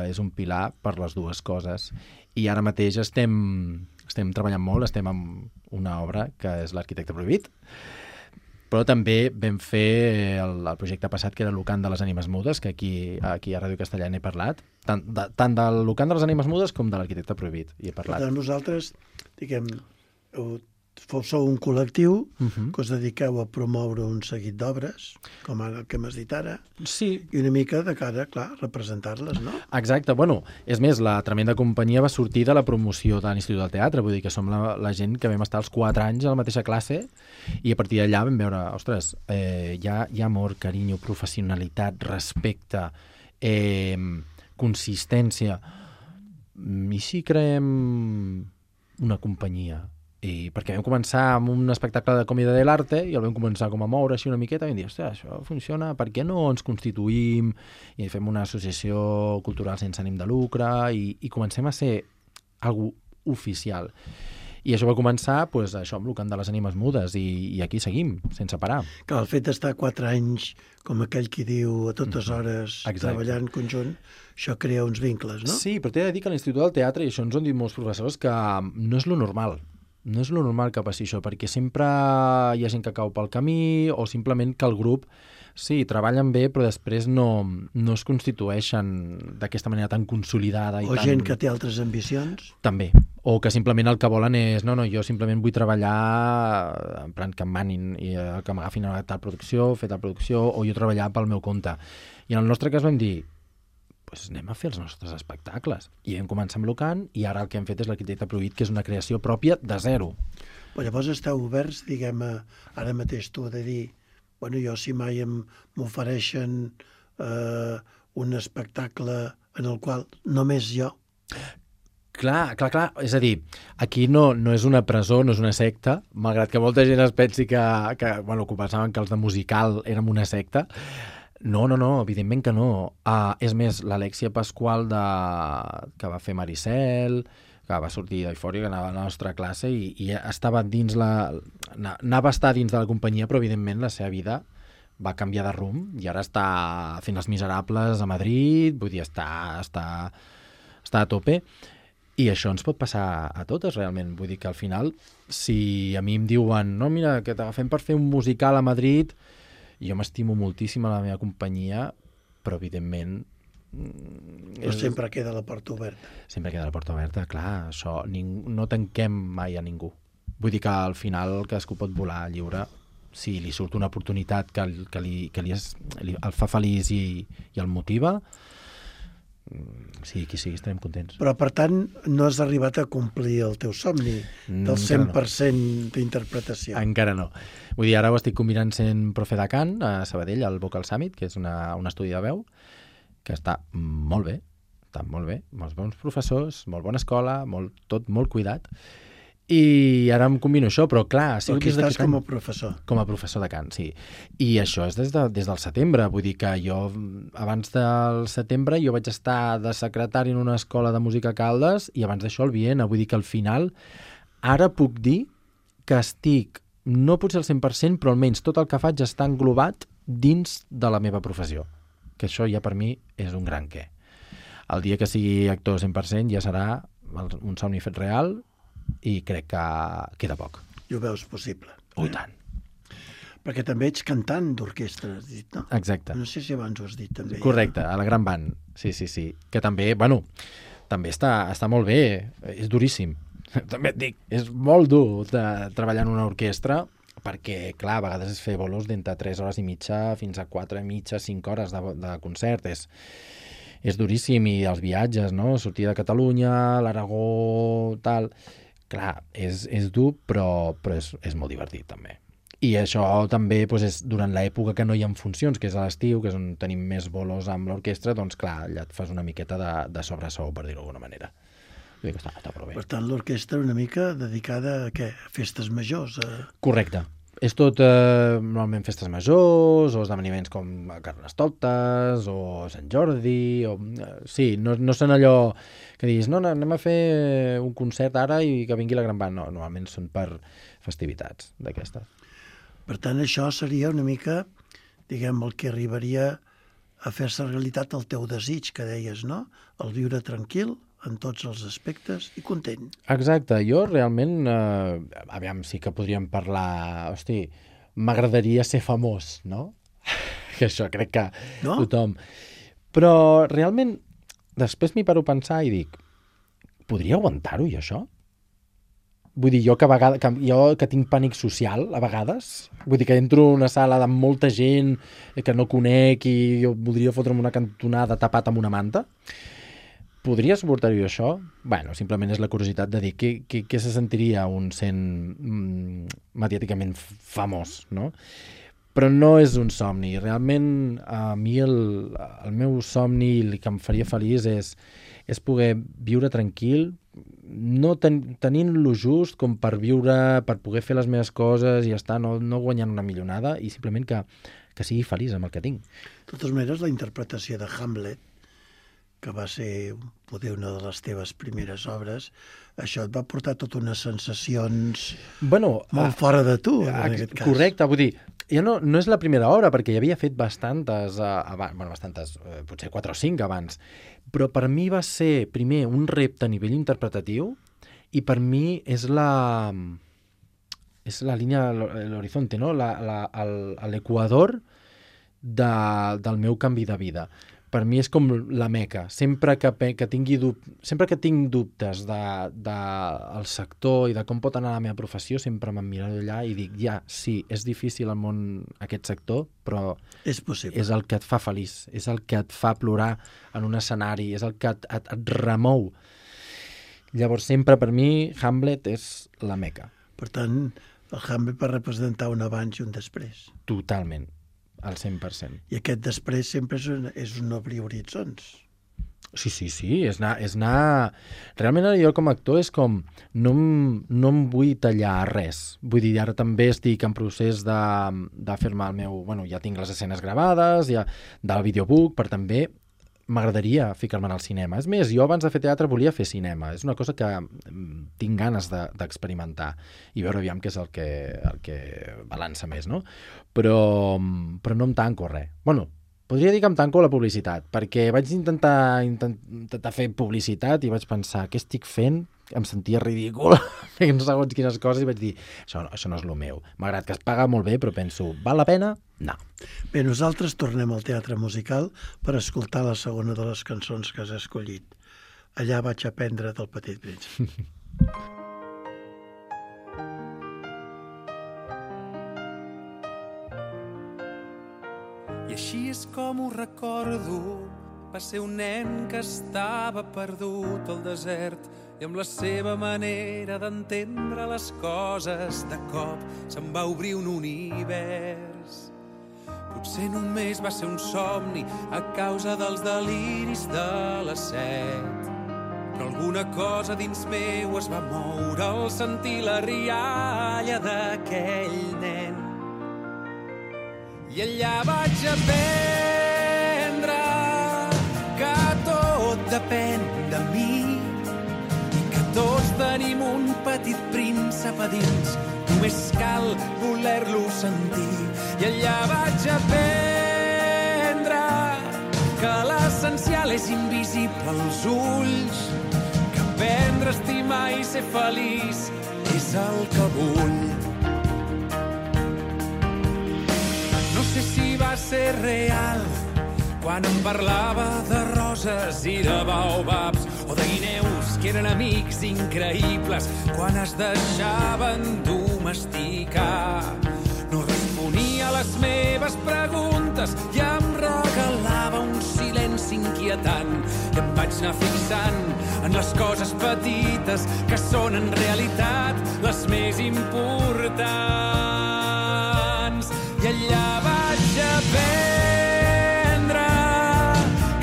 és un pilar per les dues coses. I ara mateix estem treballant molt, estem amb una obra que és l'Arquitecte Prohibit, però també vam fer el projecte passat, que era el Lucant de les Ànimes Mudes, que aquí a Ràdio Castellà n'he parlat, tant del Lucant de les Ànimes Mudes com de l'Arquitecte Prohibit hi he parlat. Per tant, vosaltres, diguem, sou un col·lectiu que us dediqueu a promoure un seguit d'obres, com el que m'has dit ara, sí. I una mica de cara, clar, representar-les, no? Exacte. Bueno, és més, la Tremenda companyia va sortir de la promoció de l'Institut del Teatre, vull dir que som la gent que vam estar els 4 anys a la mateixa classe i a partir d'allà vam veure, ostres, hi ha amor, carinyo, professionalitat, respecte, consistència. I si creem una companyia? I perquè vam començar amb un espectacle de comèdia de l'arte i el vam començar com a moure així una miqueta i vam dir, ostres, això funciona, per què no ens constituïm i fem una associació cultural sense ànim de lucre i comencem a ser algú oficial. I això va començar, doncs, això amb l'Ucant de les Ànimes Mudes i aquí seguim, sense parar. Que el fet d'estar 4 anys, com aquell qui diu, a totes hores, treballant conjunt, això crea uns vincles, no? Sí, però t'he de dir que a l'Institut del Teatre, i això ens ho han dit molts professors, que no és lo normal. No és lo normal que passi això, perquè sempre hi ha gent que cau pel camí o simplement que el grup, sí, treballen bé, però després no es constitueixen d'aquesta manera tan consolidada. O gent que té altres ambicions. També. O que simplement el que volen és, no, jo simplement vull treballar en plan que em manin i que m'agafin a tal producció, fer tal producció, o jo treballar pel meu compte. I en el nostre cas vam dir, pues anem a fer els nostres espectacles. I vam començar amb l'Ucant i ara el que hem fet és l'Arquitecte Prohibit, que és una creació pròpia de zero. Però llavors esteu oberts, diguem, ara mateix tu de dir, bueno, jo si mai m'ofereixen un espectacle en el qual només jo... Clar. És a dir, aquí no és una presó, no és una secta, malgrat que molta gent es pensi que pensaven que els de musical érem una secta. No, evidentment que no. És més, l'Alexia Pasqual que va fer Maricel, que va sortir d'Eufòria, que anava a la nostra classe i estava dins anava a estar dins de la companyia, però evidentment la seva vida va canviar de rumb i ara està fent Els Miserables a Madrid, vull dir, està a tope. I això ens pot passar a totes, realment. Vull dir que al final, si a mi em diuen no, mira, que t'agafem per fer un musical a Madrid... Jo m'estimo moltíssim a la meva companyia, però evidentment... Però sempre queda la porta oberta. Sempre queda la porta oberta, clar. Això no tanquem mai a ningú. Vull dir que al final cadascú pot volar lliure si li surt una oportunitat que el fa feliç i el motiva. Sí, qui sigui, estarem contents. Però, per tant, no has arribat a complir el teu somni del 100% d'interpretació. Encara no. Vull dir, ara ho estic combinant sent profe de cant a Sabadell, al Vocal Summit, que és un estudi de veu, que està molt bé, molts bons professors, molt bona escola, tot molt cuidat, i ara em combino això, però clar... Però aquí estàs com a professor. Com a professor de cant, sí. I això és des del setembre, vull dir que jo, abans del setembre, jo vaig estar de secretari en una escola de música a Caldes i abans d'això al Viena, vull dir que al final, ara puc dir que estic no potser al 100%, però almenys tot el que faig està englobat dins de la meva professió. Que això ja per mi és un gran què. El dia que sigui actor 100% ja serà un somni fet real i crec que queda poc. I ho veus possible. I tant. Perquè també ets cantant d'orquestra, has dit, no? Exacte. No sé si abans ho has dit, també. Correcte, a la Gran Band. Sí. Que també, també està molt bé. És duríssim. També et dic, és molt dur de treballar en una orquestra perquè, clar, a vegades és fer bolos d'entre 3 hores i mitja fins a 4 i mitja, 5 hores de concert. És duríssim, i els viatges, no? Sortir de Catalunya, l'Aragó, tal... Clar, és dur, però és molt divertit, també. I això també és durant l'època que no hi ha funcions, que és a l'estiu, que és on tenim més bolos amb l'orquestra, doncs clar, allà et fas una miqueta de sobresou, per dir-ho d'alguna manera. Vull dir que està prou bé. Per tant, l'orquestra una mica dedicada a què? A festes majors? Correcte. És tot normalment festes majors, o esdeveniments com Carnestoltes, o Sant Jordi, sí, no són allò que diguis, no, anem a fer un concert ara i que vingui la Gran Band. No, normalment són per festivitats d'aquestes. Per tant, això seria una mica, diguem, el que arribaria a fer-se realitat el teu desig, que deies, no? El viure tranquil, en tots els aspectes, i content. Exacte. Jo realment, aviam, sí que podríem parlar... Hosti, m'agradaria ser famós, no? Que això crec que tothom... Però realment, després m'hi paro a pensar i dic, podria aguantar-ho, jo, això? Vull dir, jo que tinc pànic social, a vegades, vull dir que entro en una sala amb molta gent que no conec i jo voldria fotre'm una cantonada tapat amb una manta, podria suportar-ho això? Bueno, simplement és la curiositat de dir què se sentiria un sent mediàticament famós, no? Però no és un somni. Realment, a mi el meu somni, el que em faria feliç és poder viure tranquil, no tenint-lo just com per viure, per poder fer les meves coses i estar, no guanyant una millonada, i simplement que sigui feliç amb el que tinc. De totes maneres, la interpretació de Hamlet, que va ser poder una de les teves primeres obres, això et va portar totes unes sensacions molt fora de tu, en aquest cas. Correcte, vull dir, ja no és la primera obra, perquè ja havia fet bastantes, potser 4 o 5 abans, però per mi va ser, primer, un repte a nivell interpretatiu, i per mi és la línia, l'horizonte, no? L'equador del meu canvi de vida. Per mi és com la meca. Sempre que tinc dubtes del sector i de com pot anar la meva professió, sempre me'n miro allà i dic, sí, és difícil el món, aquest sector, però és possible. És el que et fa feliç, és el que et fa plorar en un escenari, és el que et remou. Llavors, sempre per mi, Hamlet és la meca. Per tant, el Hamlet va representar un abans i un després. Totalment. Al 100%. I aquest després sempre és un obrir horitzons. Sí, és anar... Realment jo com a actor és com... No em vull tallar res. Vull dir, ara també estic en procés de fer-me el meu... ja tinc les escenes gravades, ja del videobook, per també m'agradaria ficar-me al cinema. És més, jo abans de fer teatre volia fer cinema. És una cosa que tinc ganes d'experimentar i veure aviam què és el que balança més, no? Però no em tanco res. Podria dir que em tanco la publicitat, perquè vaig intentar fer publicitat i vaig pensar, què estic fent? Em sentia ridícul fent segons quines coses i vaig dir, això no és el meu. Malgrat que es paga molt bé, però penso, val la pena? No. Bé, nosaltres tornem al teatre musical per escoltar la segona de les cançons que has escollit. Allà vaig aprendre del Petit Príncep. I així és com ho recordo. Va ser un nen que estava perdut al desert i amb la seva manera d'entendre les coses de cop se'n va obrir un univers. Potser només va ser un somni a causa dels deliris de les 7, però alguna cosa dins meu es va moure al sentir la rialla d'aquell nen. I allà vaig aprendre que tot depèn de mi i que tots tenim un petit príncep a dins. només cal voler-lo sentir. I allà vaig aprendre que l'essencial és invisible als ulls, que aprendre a estimar i ser feliç és el que vull. No sé si va ser real quan em parlava de roses i de baobabs o de guineus que eren amics increïbles quan es deixaven domesticar. No responia a les meves preguntes i em regalava un silenci inquietant i em vaig anar fixant en les coses petites que són en realitat les més importants. I allà vaig aprendre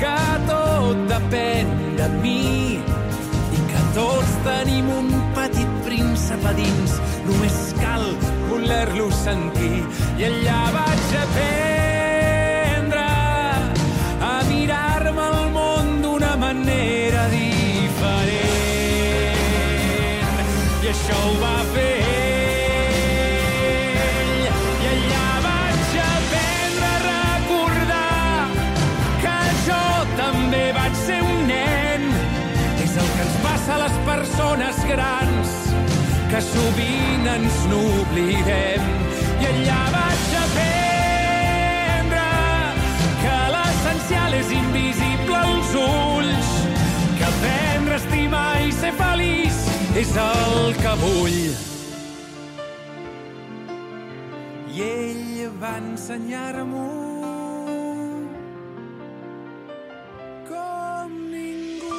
que tot depèn de mi i que tots tenim un petit príncep a dins, només cal voler-lo sentir. I allà vaig aprendre a mirar-me el món d'una manera diferent. I això ho va fer ell. I allà vaig aprendre a recordar que jo també vaig ser un nen. És el que ens passa a les persones grans, que sovint ens n'oblidem. I allà vaig aprendre que l'essencial és invisible als ulls, que aprendre a estimar i ser feliç és el que vull. I ell va ensenyar-m'ho com ningú.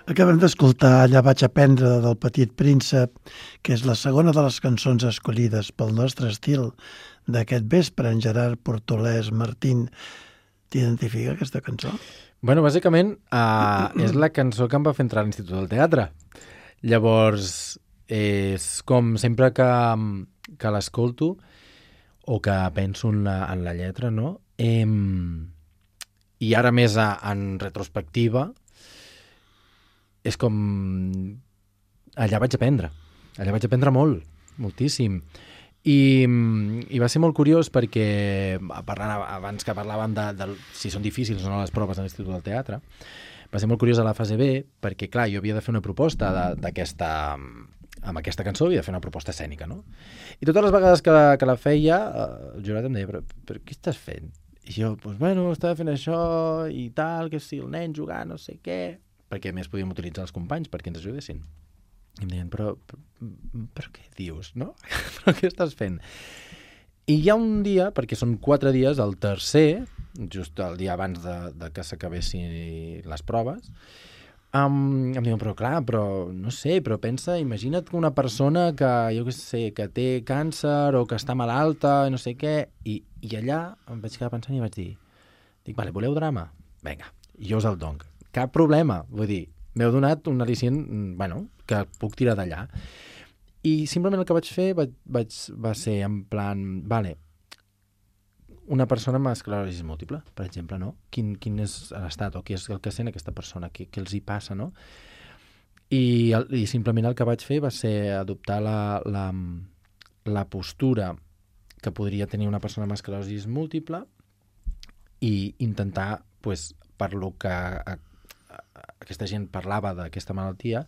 Acabem d'escoltar Allà vaig aprendre del Petit Príncep, que és la segona de les cançons escollides pel nostre estil d'aquest vespre. En Gerard Portolès Martín, t'identifica aquesta cançó? Bueno, bàsicament és la cançó que em va fer entrar a l'Institut del Teatre. Llavors, és com sempre que l'escolto o que penso en la lletra, no? I ara més en retrospectiva, és com... Allà vaig aprendre molt, moltíssim. I va ser molt curiós perquè, abans que parlàvem de si són difícils o no les proves de l'Institut del Teatre, va ser molt curiós a la fase B perquè, clar, jo havia de fer una proposta amb aquesta cançó, havia de fer una proposta escènica, no? I totes les vegades que la feia, el jurat em deia, però què estàs fent? I jo, doncs, bueno, estava fent això i tal, que si el nen jugant, no sé què, perquè a més podíem utilitzar els companys perquè ens ajudessin. I em deien, però què dius, no? Però què estàs fent? I hi ha un dia, perquè són 4 dies, el tercer, just el dia abans de que s'acabessin les proves, em diuen, però clar, però no sé, però pensa, imagina't que una persona que, jo què sé, que té càncer o que està malalta, no sé què, i allà em vaig quedar pensant i vaig dir, vale, voleu drama? Vinga, jo us el dono. Cap problema, vull dir, m'heu donat un al·licient, bueno, que puc tirar d'allà. I simplement el que vaig fer va ser en plan, vale, una persona amb esclerosi múltiple, per exemple, no? Quin és l'estat o què és el que sent aquesta persona, què els hi passa, no? I simplement el que vaig fer va ser adoptar la postura que podria tenir una persona amb esclerosi múltiple i intentar, pues, per lo que aquesta gent parlava d'aquesta malaltia,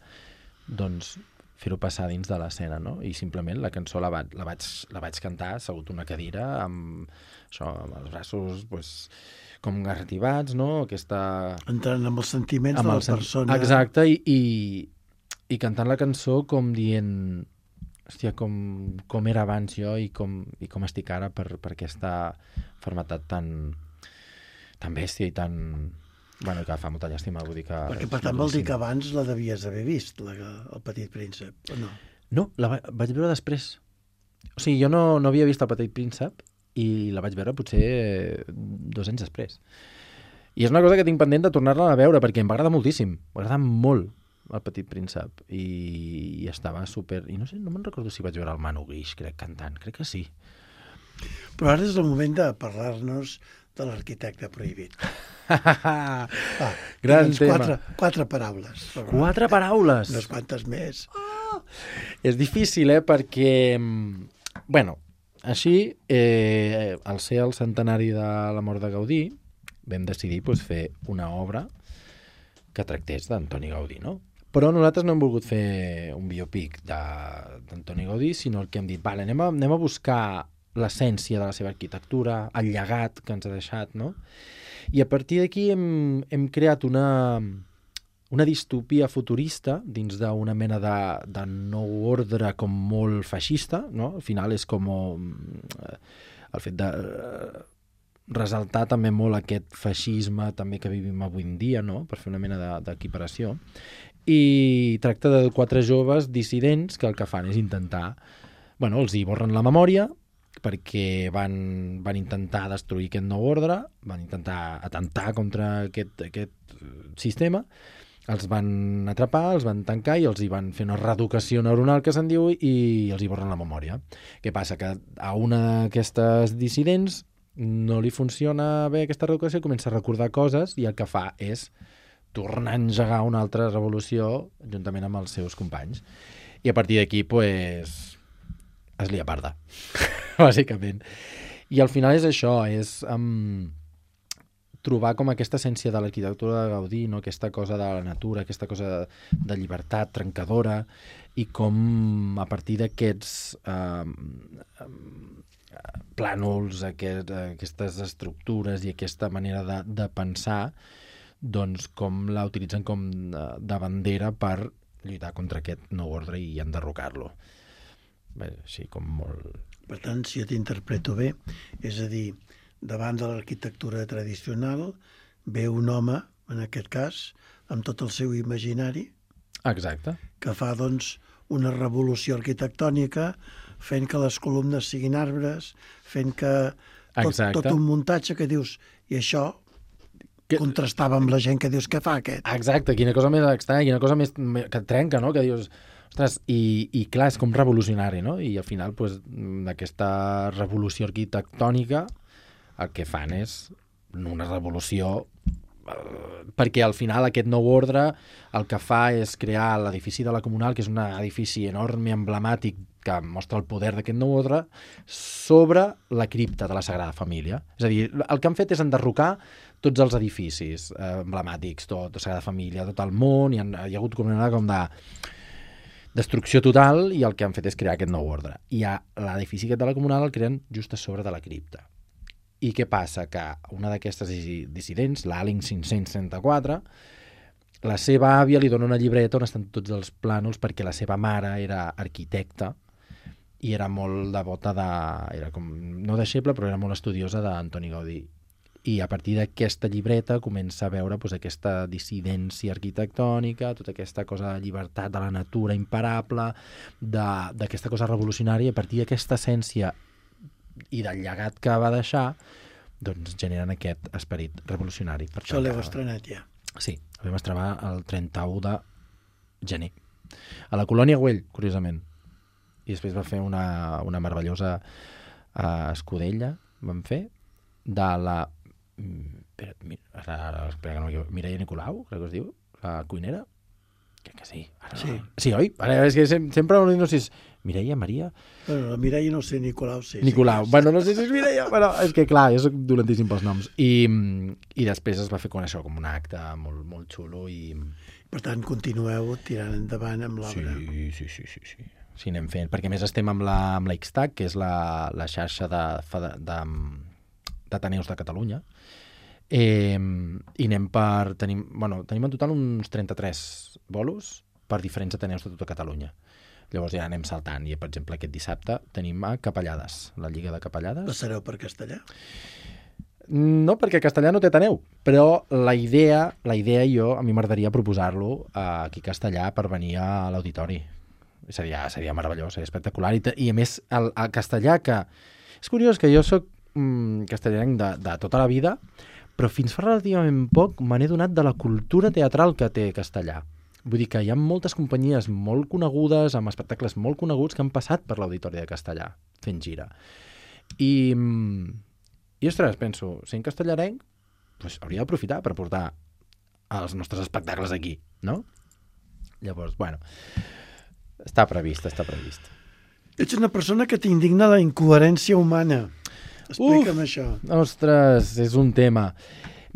doncs fer-ho passar dins de l'escena, no? I simplement la cançó la vaig cantar assegut una cadira amb els braços pues, com garrativats, no? Entrant amb els sentiments de la persona. Exacte, i cantant la cançó com dient hòstia, com era abans jo i com estic ara per aquesta malaltia tan bèstia i tan... Bueno, que fa molta llàstima, vull dir que... Perquè per tant vol dir que abans la devies haver vist, el Petit Príncep, o no? No, la vaig veure després. O sigui, jo no havia vist el Petit Príncep i la vaig veure potser 2 anys després. I és una cosa que tinc pendent de tornar-la a veure perquè em va agradar moltíssim, m'agrada molt el Petit Príncep i estava super... I no sé, no me'n recordo si vaig veure el Manu Guix, crec, cantant, crec que sí. Però ara és el moment de parlar-nos de l'arquitecte prohibit. Gran tema. Quatre paraules. 4 paraules! Unes quantes més. És difícil, perquè... Bueno, així, al ser el centenari de la mort de Gaudí, vam decidir fer una obra que tractés d'Antoni Gaudí, no? Però nosaltres no hem volgut fer un biopic d'Antoni Gaudí, sinó el que hem dit, vale, anem a buscar l'essència de la seva arquitectura, el llegat que ens ha deixat, no? I a partir d'aquí hem creat una distopia futurista dins d'una mena de nou ordre com molt feixista, no? Al final és com el fet de resaltar també molt aquest feixisme també que vivim avui en dia, no? Per fer una mena d'equiparació. I tracta de 4 joves dissidents que el que fan és intentar... Bueno, els hi borren la memòria perquè van intentar destruir aquest nou ordre, van intentar atentar contra aquest sistema, els van atrapar, els van tancar i els hi van fer una reeducació neuronal que se'n diu i els hi borren la memòria. Què passa? Que a una d'aquestes dissidents no li funciona bé aquesta reeducació, comença a recordar coses i el que fa és tornar a engegar una altra revolució juntament amb els seus companys. I a partir d'aquí, es lia parda, bàsicament. I al final és això, és trobar com aquesta essència de l'arquitectura de Gaudí, no? Aquesta cosa de la natura, aquesta cosa de llibertat trencadora, i com a partir d'aquests plànols, aquestes estructures i aquesta manera de pensar, doncs com la utilitzen com de bandera per lluitar contra aquest nou ordre i enderrocar-lo. Bé, així com molt... Per tant, si jo t'interpreto bé, és a dir, davant de l'arquitectura tradicional ve un home, en aquest cas, amb tot el seu imaginari, exacte, que fa, doncs, una revolució arquitectònica fent que les columnes siguin arbres, fent que tot un muntatge que dius, i això contrastava amb la gent que dius, què fa aquest? Exacte, quina cosa més estranya, quina cosa més que et trenca, no? Que dius, ostres, i clar, és com revolucionari, no? I al final, d'aquesta revolució arquitectònica, el que fan és una revolució perquè al final aquest nou ordre el que fa és crear l'edifici de la Comunal, que és un edifici enorme, emblemàtic, que mostra el poder d'aquest nou ordre, sobre la cripta de la Sagrada Família. És a dir, el que han fet és enderrocar tots els edificis emblemàtics, tot, la Sagrada Família, tot el món, hi ha hagut com una com de destrucció total, i el que han fet és crear aquest nou ordre. I l'edifici aquest de la Comunal el creen just a sobre de la cripta. I què passa? Que una d'aquestes dissidents, l'Alling 534, la seva àvia li dona una llibreta on estan tots els plànols perquè la seva mare era arquitecta i era molt devota era com, no deixeble, però era molt estudiosa d'Antoni Gaudí. I a partir d'aquesta llibreta comença a veure aquesta dissidència arquitectònica, tota aquesta cosa de llibertat de la natura imparable, d'aquesta cosa revolucionària, i a partir d'aquesta essència i del llegat que va deixar, doncs generen aquest esperit revolucionari. Això l'heu estrenat ja? Sí, el vam estrenar el 31 de gener. A la Colònia Güell, curiosament. I després va fer una meravellosa escudella, vam fer, de la Mireia Nicolau, crec que es diu, la cuinera. Crec que sí. Sí, oi? És que sempre no sé si és Mireia, Maria... Bueno, la Mireia no sé, Nicolau sí. Nicolau. Bueno, no sé si és Mireia, però és que clar, jo soc dolentíssim pels noms. I després es va fer con això, com un acte molt, molt xulo i... Per tant, continueu tirant endavant amb l'obra. Sí. Sí, anem fent. Perquè a més estem amb la XTAC, que és la xarxa d'Ateneus de Catalunya, i anem per... Tenim en total uns 33 bolos per diferents Ateneus de tota Catalunya. Llavors ja anem saltant. I, per exemple, aquest dissabte tenim a Capellades, la Lliga de Capellades. Passareu per Castellà? No, perquè Castellà no té Ateneu, però la idea a mi m'agradaria proposar-lo aquí a Castellà per venir a l'auditori. Seria meravellós, seria espectacular. I a més, el castellà que... És curiós que jo soc castellanenc de tota la vida, però fins fa relativament poc me n'he donat de la cultura teatral que té Castellà. Vull dir que hi ha moltes companyies molt conegudes, amb espectacles molt coneguts, que han passat per l'Auditori de Castellà, fent gira. I I, ostres, penso, sent castellarenc, doncs hauria d'aprofitar per portar els nostres espectacles aquí, no? Llavors, bueno, està previst. Ets una persona que t'indigna la incoherència humana. Explica'm això. Ostres, és un tema.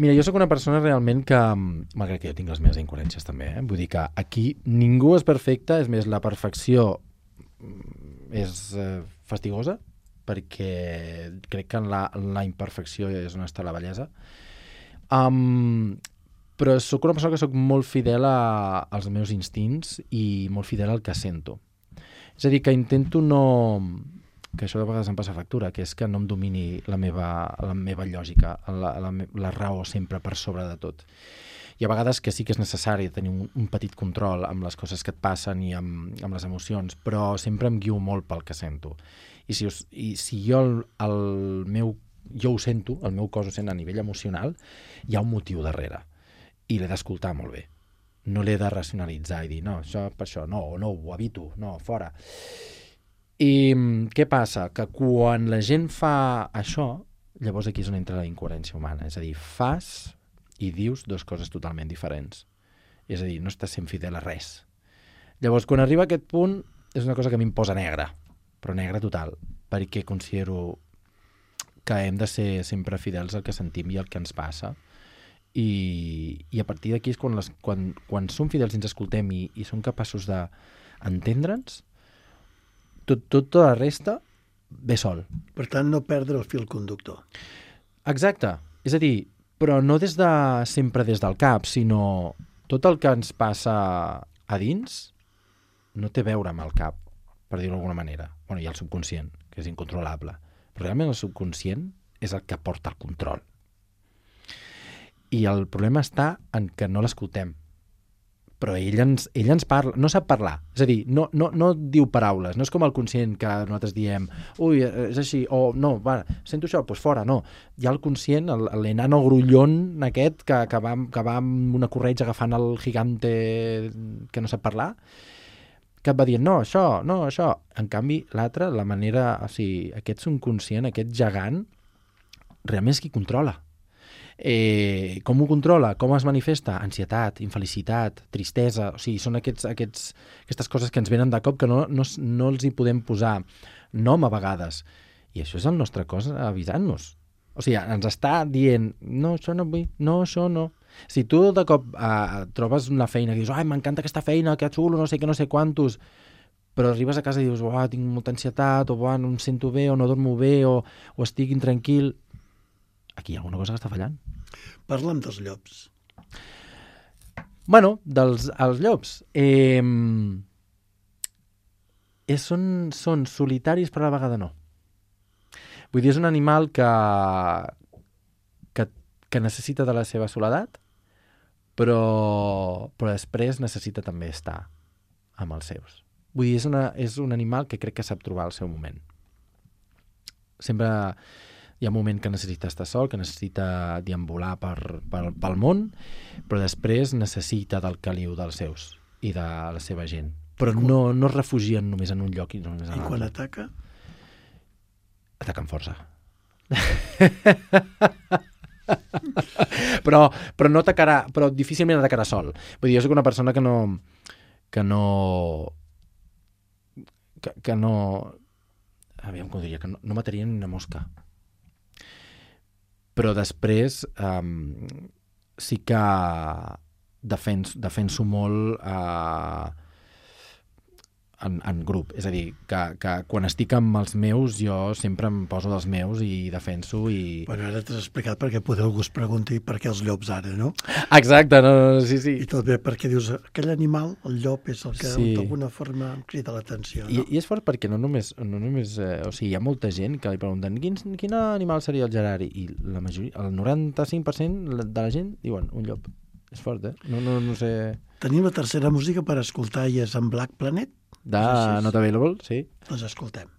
Mira, jo sóc una persona realment que, malgrat que jo tinc les meves incoherències també, vull dir que aquí ningú és perfecte, és més, la perfecció és fastigosa, perquè crec que en la imperfecció és on està la bellesa. Però sóc una persona que sóc molt fidel als meus instints i molt fidel al que sento. És a dir, que intento no... que això de vegades em passa factura, que és que no em domini la meva lògica, la raó sempre per sobre de tot. I a vegades que sí que és necessari tenir un petit control amb les coses que et passen i amb les emocions, però sempre em guio molt pel que sento. I si jo jo ho sento, el meu cos ho sent a nivell emocional, hi ha un motiu darrere. I l'he d'escoltar molt bé. No l'he de racionalitzar i dir, no, això per això, no, ho evito, no, fora. I què passa? Que quan la gent fa això, llavors aquí és on entra la incoherència humana. És a dir, fas i dius dues coses totalment diferents. És a dir, no estàs sent fidel a res. Llavors, quan arriba a aquest punt, és una cosa que a mi em posa negra, però negra total, perquè considero que hem de ser sempre fidels al que sentim i al que ens passa. I a partir d'aquí és quan som fidels i ens escoltem i som capaços d'entendre'ns, tota la resta ve sol. Per tant, no perdre el fil conductor. Exacte. És a dir, però no sempre des del cap, sinó tot el que ens passa a dins no té a veure amb el cap, per dir-ho d'alguna manera. Bueno, hi ha el subconscient, que és incontrolable. Però realment el subconscient és el que porta el control. I el problema està en que no l'escoltem. Però ell ens parla, no sap parlar. És a dir, no diu paraules. No és com el conscient que nosaltres diem ui, és així, o no, va, sento això, doncs fora, no. Hi ha el conscient, l'enano grullón aquest que va amb una corretja agafant el gigante que no sap parlar, que et va dient, no, això. En canvi, l'altre, la manera, o sigui, aquest subconscient, aquest gegant, realment és qui controla. Com ho controla? Com es manifesta? Ansietat, infelicitat, tristesa, o sigui, són aquestes coses que ens venen de cop que no els hi podem posar nom a vegades. I això és el nostre cos avisant-nos. O sigui, ens està dient, no, això no vull, no, això no. Si tu de cop trobes una feina que dius, ai, m'encanta aquesta feina, que xulo, no sé què, no sé quantos, però arribes a casa i dius, tinc molta ansietat, o no em sento bé, o no dormo bé, o estic intranquil. Aquí hi ha alguna cosa que està fallant. Parla'm dels llops. Bueno, els llops. Són solitaris, però a la vegada no. Vull dir, és un animal que necessita de la seva soledat, però després necessita també estar amb els seus. Vull dir, és un animal que crec que sap trobar el seu moment. Sempre hi ha un moment que necessita estar sol, que necessita deambular pel món, però després necessita del caliu dels seus i de la seva gent. Però no es refugien només en un lloc i només en l'altre. I quan ataca? Ataca amb força. però no atacarà, però difícilment atacarà sol. Vull dir, jo soc una persona que aviam com diria, que no mataria ni una mosca. Però després sí que defenso molt en grup. És a dir, que quan estic amb els meus, jo sempre em poso dels meus i defenso i... Bueno, ara t'has explicat perquè poder algú es pregunti per què els llops ara, no? Exacte, no, sí. I tot bé perquè dius, aquell animal, el llop, és el que d'alguna forma em crida l'atenció, no? I és fort perquè no només o sigui, hi ha molta gent que li pregunten quin animal seria el Gerard? I la majoria, el 95% de la gent diuen un llop. És fort, No sé... Tenim la tercera música per escoltar i és en Black Planet. De Not Available, sí. Doncs escoltem.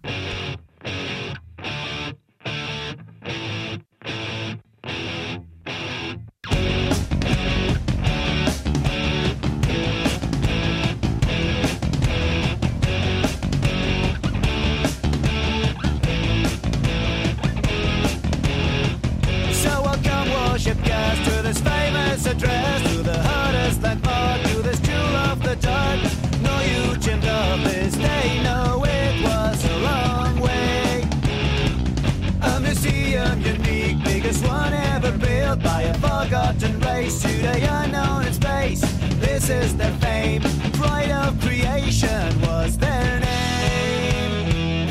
the unknown in space. This is their fame. Pride of creation was their name.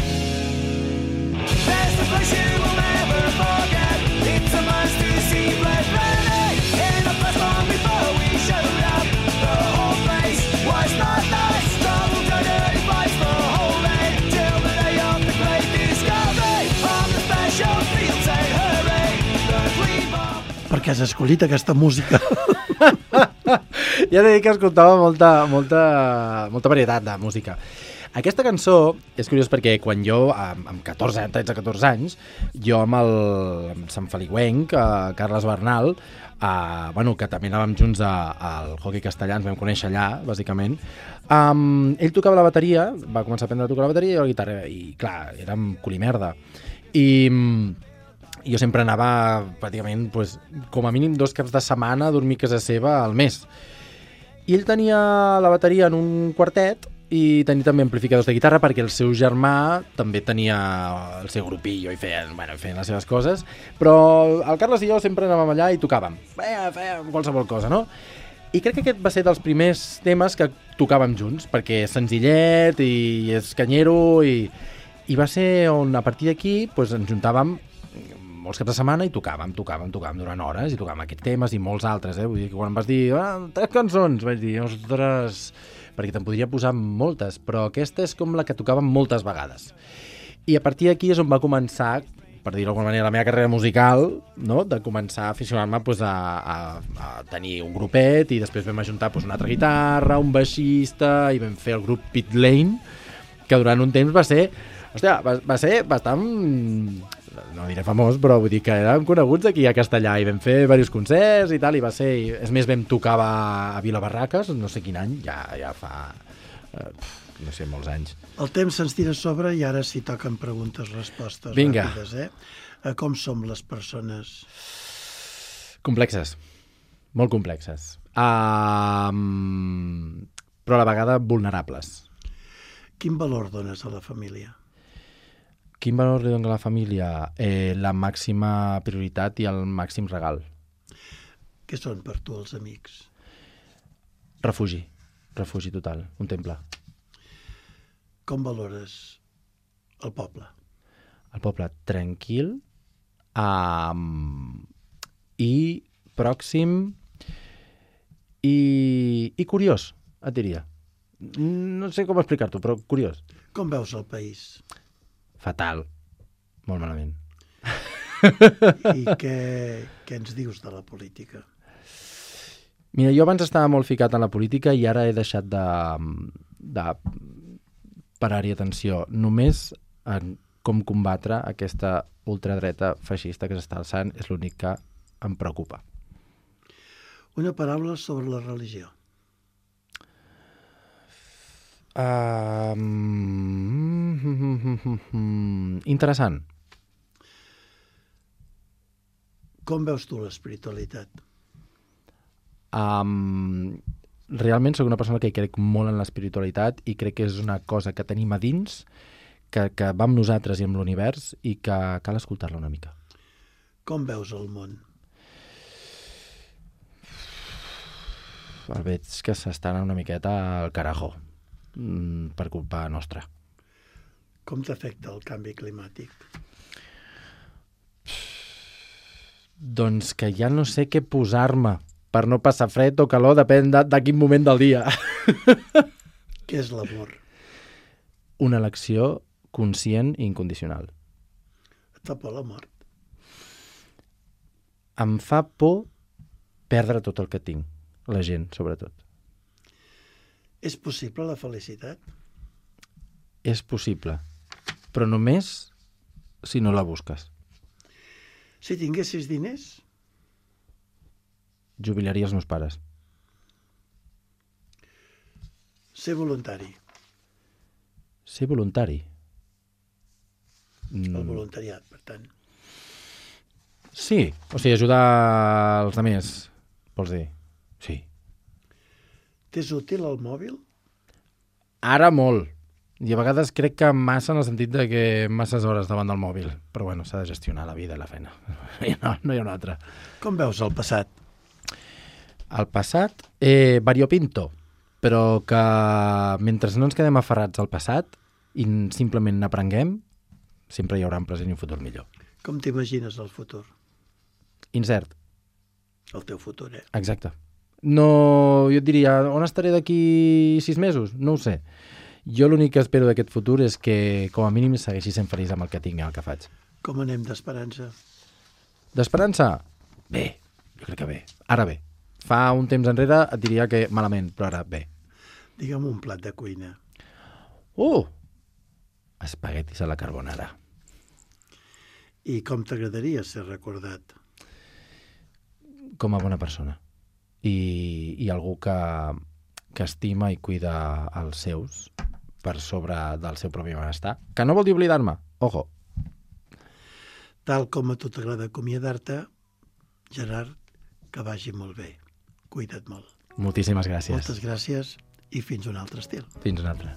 There's a place you will never forget. It's a must to see blood burning in the first long before we showed up. The whole place was not nice. Trouble to dirty fights for holding till the day of the great discovery. On the battlefield say hooray. The green bomb. Per què has escollit aquesta música? Ja t'he dit que escoltava molta varietat de música. Aquesta cançó és curiós perquè quan jo, amb 13-14 anys, jo amb Sant Feliuenc, Carles Bernal, que també anàvem junts al hoquei castellà, ens vam conèixer allà, bàsicament, ell tocava la bateria, va començar a aprendre a tocar la bateria i la guitarra, i clar, érem culimerda. I jo sempre anava pràcticament, com a mínim 2 caps de setmana a dormir a casa seva al mes. I ell tenia la bateria en un quartet i tenia també amplificadors de guitarra perquè el seu germà també tenia el seu grupillo i feien les seves coses, però el Carles i jo sempre anàvem allà i tocàvem, fèiem qualsevol cosa, no? I crec que aquest va ser dels primers temes que tocàvem junts, perquè és senzillet i és canyero i va ser on a partir d'aquí ens juntàvem molts caps de setmana i tocàvem durant hores i tocàvem aquests temes i molts altres, vull dir que quan em vas dir 3 cançons, vaig dir, ostres, perquè te'n podria posar moltes, però aquesta és com la que tocàvem moltes vegades. I a partir d'aquí és on va començar, per dir-ho d'alguna manera, la meva carrera musical, no? De començar a aficionar-me a tenir un grupet i després vam ajuntar una altra guitarra, un baixista i vam fer el grup Pit Lane, que durant un temps va ser bastant, no diré famós, però vull dir que érem coneguts aquí a Castellà i vam fer diversos concerts i tal, i va ser, és més, vam tocar a Vila Barraques, no sé quin any, ja fa, no sé, molts anys. El temps se'ns tira a sobre i ara s'hi toquen preguntes-respostes ràpides, Com som les persones? Complexes, molt complexes, però a la vegada vulnerables. Quin valor dones a la família? Quin valor li dona a la família? La màxima prioritat i el màxim regal. Què són per tu els amics? Refugi total, un temple. Com valores el poble? El poble tranquil i pròxim i curiós, et diria. No sé com explicar-t'ho, però curiós. Com veus el país? Fatal. Molt malament. I què ens dius de la política? Mira, jo abans estava molt ficat en la política i ara he deixat de parar-hi atenció. Només en com combatre aquesta ultradreta feixista que s'està alçant és l'únic que em preocupa. Una paraula sobre la religió. Interessant. Com veus tu l'espiritualitat? Realment soc una persona que crec molt en l'espiritualitat i crec que és una cosa que tenim a dins, que va amb nosaltres i amb l'univers i que cal escoltar-la una mica. Com veus el món? Veig que s'està anant una miqueta al carajo, per culpa nostra. Com t'afecta el canvi climàtic? Doncs que ja no sé què posar-me per no passar fred o calor, depèn de quin moment del dia. Què és l'amor? Una elecció conscient i incondicional. Et fa por la mort? Em fa por perdre tot el que tinc, la gent, sobretot. És possible la felicitat? És possible, però només si no la busques. Si tinguessis diners? Jubilaria els meus pares. Ser voluntari. Ser voluntari? El voluntariat, per tant. Sí, o sigui, ajudar els altres, vols dir? Sí. T'és útil el mòbil? Ara molt. I a vegades crec que massa en el sentit de que masses hores davant del mòbil. Però bueno, s'ha de gestionar la vida i la feina. No hi ha una altra. Com veus el passat? El passat, variopinto, però que mentre no ens quedem aferrats al passat i simplement n'aprenguem, sempre hi haurà un present i un futur millor. Com t'imagines el futur? Incert. El teu futur, Exacte. No, jo et diria, on estaré d'aquí 6 mesos? No ho sé. Jo l'únic que espero d'aquest futur és que, com a mínim, segueixi sent feliç amb el que tinc i el que faig. Com anem d'esperança? D'esperança? Bé, jo crec que bé. Ara bé. Fa un temps enrere et diria que malament, però ara bé. Digue'm un plat de cuina. Espaguetis a la carbonara. I com t'agradaria ser recordat? Com a bona persona. I algú que estima i cuida els seus per sobre del seu propi benestar. Que no vol dir oblidar-me. Ojo. Tal com a tu t'agrada acomiadar-te, Gerard, que vagi molt bé. Cuida't molt. Moltíssimes gràcies. Moltes gràcies i fins un altre estil. Fins un altre.